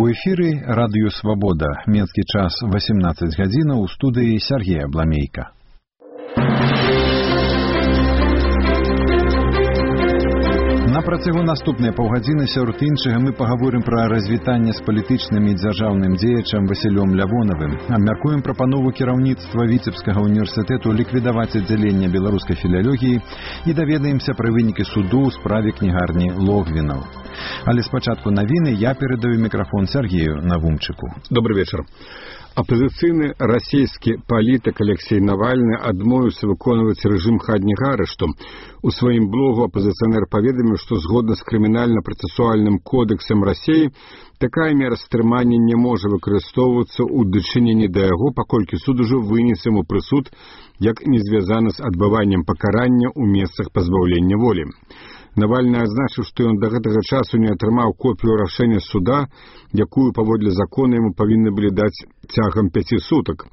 У эфіры радыё «Свабода». Менскі час 18 гадзінаў, у студыі Сергей Абламейка. На працягу наступныя паўгадзіны сярод іншага мы пагаворым пра развітанне з палітычным і дзяржаўным дзеячам Васілём Лявонавым, абмяркуем прапанову кіраўніцтва Віцебскага універсітэту ліквідаваць аддзяленне беларускай філялогіі і даведаемся пра вынікі суду ў справе кнігарні Логвінаў. Але спачатку навіны я перадаю мікрафон Сергею Навумчыку. Добрый вечер. Апозіцыйны расійскі палітык Алексей Навальны адмовіўся выконваць рэжым хатняга арышту. У сваім блогу апозіцыянер паведаміў, што згодна з крымінальна-працэсуальным кодэксам Расіі такая мера стрымання не можа выкарыстоўвацца ў дачыненні да яго, паколькі суд ужо вынес яму прысуд, як не звязаны з адбываннем пакарання ў месцах пазбаўлення волі. Навальны адзначыў, што ён да гэтага часу не атрымаў копію рашэння суда, якую паводле закона яму павінны былі даць цягам 5 сутак.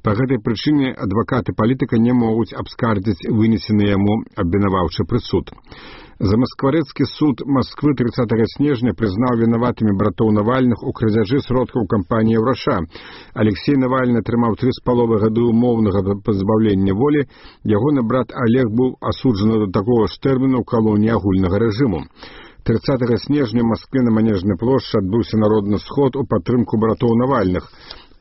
Па гэтай прычыне адвакаты палітыка не могуць абскардзіць вынесены яму абвінаваўчы прысуд. Замаскварэцкі суд Масквы 30 снежня прызнаў вінаватымі братоў Навальных у крадзяжы сродкаў кампаніі «Ўраша». Алексей Навальны атрымаў 3,5 гады умоўнага пазбаўлення волі. Ягоны брат Олег быў асуджаны да такога ж тэрміну ў калоніі агульнага рэжыму. 30 снежня ў Маскве на Манежнай плошчы адбыўся народны сход у падтрымку братоў Навальных.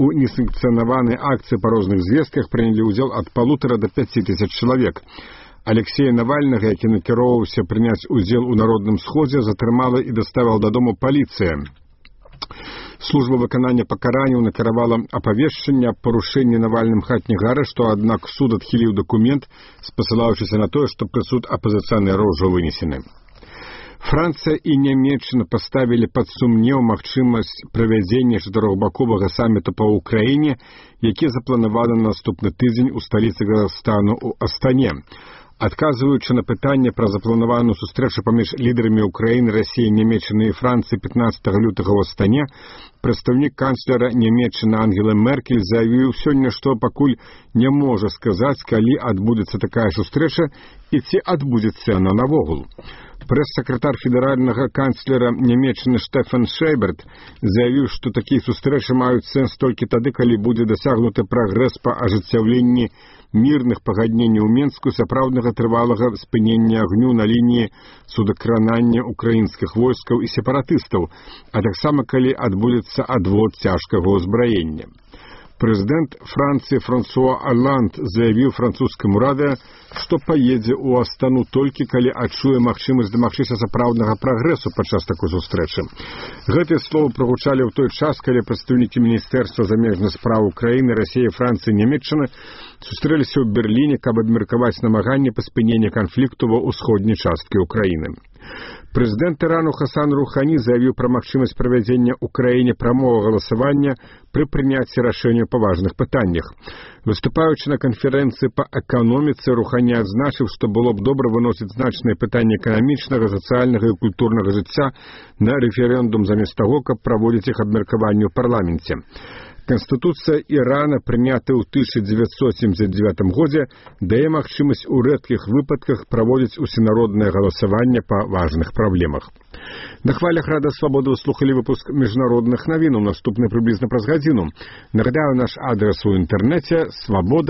У несанкцыянаванай акцыі па розных звестках прынялі ўдзел ад 1,5 до 5 тысяч чалавек. Алексея Навальнага, які накіроўваўся прыняць удзел у народным сходзе, затрымала і даставіла дадому паліцыя. Служба выканання пакаранняў накіравала апавешчанне аб парушэнні Навальным хатняга арышту, аднак суд адхіліў дакумент, спасылаючыся на тое, што прысуд апазіцыянера ўжо вынесены. Францыя і Нямецчына паставілі пад сумнеў магчымасць правядзення чатырохбаковага саміту па ўкраіне, які запланаваны на наступны тыдзень у сталіцы Казахстану ў Астане. Адказваючы на пытанне пра запланаваную сустрэчу паміж лідарамі Украіны, Расіі, Нямецчыны і Францыі 15 лютага ў Астане, прадстаўнік канцлера Нямецчыны Ангелы Меркель заявіў сёння, што пакуль не можа сказаць, калі адбудзецца такая сустрэча і ці адбудзецца яна навогул. Прэс-сакратар федэральнага канцлера Нямецчыны Штефан Шэйберт заявіў, што такія сустрэчы маюць сэнс толькі тады, калі будзе дасягнуты прагрэс па ажыццяўленні мірных пагадненняў у Менску, сапраўднага трывалага спынення агню на лініі судакранання украінскіх войскаў і сепаратыстаў, а таксама калі адбудзецца адвод цяжкага ўзбраення. Прэзідэнт Францыі Франсуа Оланд заявіў французскаму радыё, што паедзе ў Астану толькі калі адчуе магчымасць дамагчыся сапраўднага прагрэсу падчас такой сустрэчы. Гэтыя словы прагучалі ў той час, калі прадстаўнікі Міністэрства замежных спраў Украіны, Расіі, Францыі і Нямецчыны сустрэліся ў Берліне, каб абмеркаваць намаганні па спыненні канфлікту ва ўсходняй часткі Украіны. Прэзідэнт Ірану Хасан Рухані заявіў пра магчымасць правядзення ў краіне прамога галасавання пры прыняцці рашэнняў па важных пытаннях. Выступаючы на канферэнцыі па эканоміцы, Рухані адзначыў, што было б добра выносіць значныя пытанні эканамічнага, сацыяльнага і культурнага жыцця на рэферэндум замест таго, каб праводзіць іх абмеркаванне ў парламенце. Канстытуцыя Ірана, прынятая ў 1979 годзе, дае магчымасць у рэдкіх выпадках праводзіць усенароднае галасаванне па важных праблемах. На хвалях Рада Свабоды вы слухалі выпуск міжнародных навінаў, наступны прыблізна праз гадзіну. Нагадаю, наш адрес у інтэрнэце свабода.